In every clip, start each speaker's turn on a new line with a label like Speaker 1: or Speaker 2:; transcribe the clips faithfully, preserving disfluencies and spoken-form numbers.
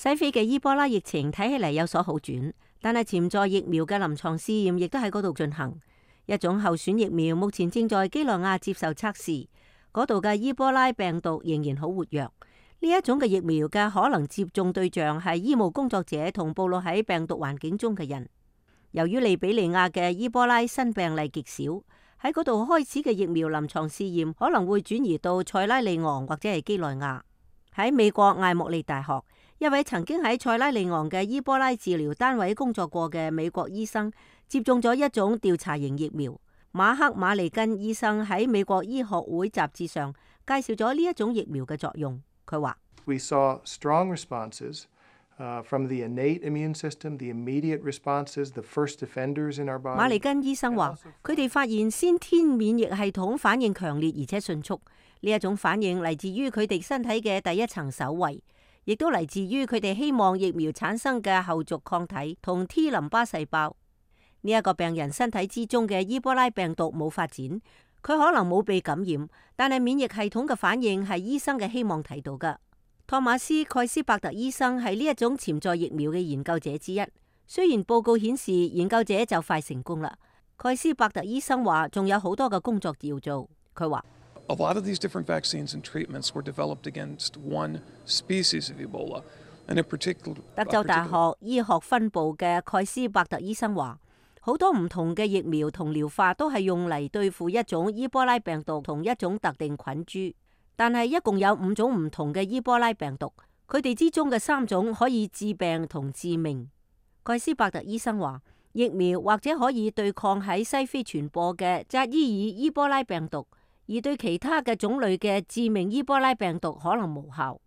Speaker 1: 西非嘅伊波拉疫情睇起嚟有所好轉，但係潛在疫苗嘅臨床試驗亦都喺嗰度進行。一種候選疫苗目前正在幾內亞接受測試，嗰度嘅伊波拉病毒仍然好活躍。呢一種嘅疫苗嘅可能接種對象係醫務工作者同暴露喺病毒環境中嘅人。由於利比里亞嘅伊波拉新病例極少，喺嗰度開始嘅疫苗臨床試驗可能會轉移到塞拉利昂或者係幾內亞。喺美國艾莫利大學，一位曾經喺塞拉利昂嘅伊波拉治療單位工作過嘅美國醫生接種咗一種調查型疫苗。馬克馬利根醫生喺美國醫學會雜誌上介紹咗呢一種疫苗嘅作用。佢話
Speaker 2: ：We saw strong responses, uh, from the innate immune system, the immediate responses, the first defenders in our body.
Speaker 1: 馬利根醫生話，佢哋發現先天免疫系統反應強烈而且迅速。呢一種反應嚟自於佢哋身體嘅第一層守衛，亦都嚟自於佢哋希望疫苗產生嘅後續抗體同 T 淋巴細胞。呢一個病人身體之中嘅伊波拉病毒冇發展，佢可能冇被感染，但係免疫系統嘅反應係醫生嘅希望睇到嘅。托馬斯蓋斯伯特醫生係呢一種潛在疫苗嘅研究者之一。雖然報告顯示研究者就快成功啦，蓋斯伯特醫生話仲有好多嘅工作要做。佢話
Speaker 3: ：A lot of these different vaccines and treatments were developed against one species of Ebola, and in particular.
Speaker 1: 德州大學醫學分部嘅蓋斯伯特醫生話，好多唔同嘅疫苗同療法都係用嚟對付一種伊波拉病毒同一種特定菌株，但係一共有五種唔同嘅伊波拉病毒，佢哋之中嘅三種可以致病同致命。蓋斯伯特醫生話，疫苗或者可以對抗喺西非傳播嘅扎伊爾伊波拉病毒，而對其他嘅種類嘅致命伊波拉病毒可能無效。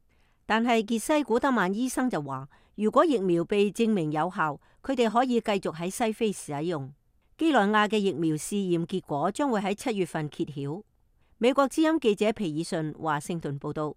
Speaker 1: 但係傑西古德曼醫生就話，如果疫苗被證明有效，佢哋可以繼續喺西非使用。幾內亞嘅疫苗試驗結果將會喺七月份揭曉。美國之音記者皮爾遜華盛頓報道。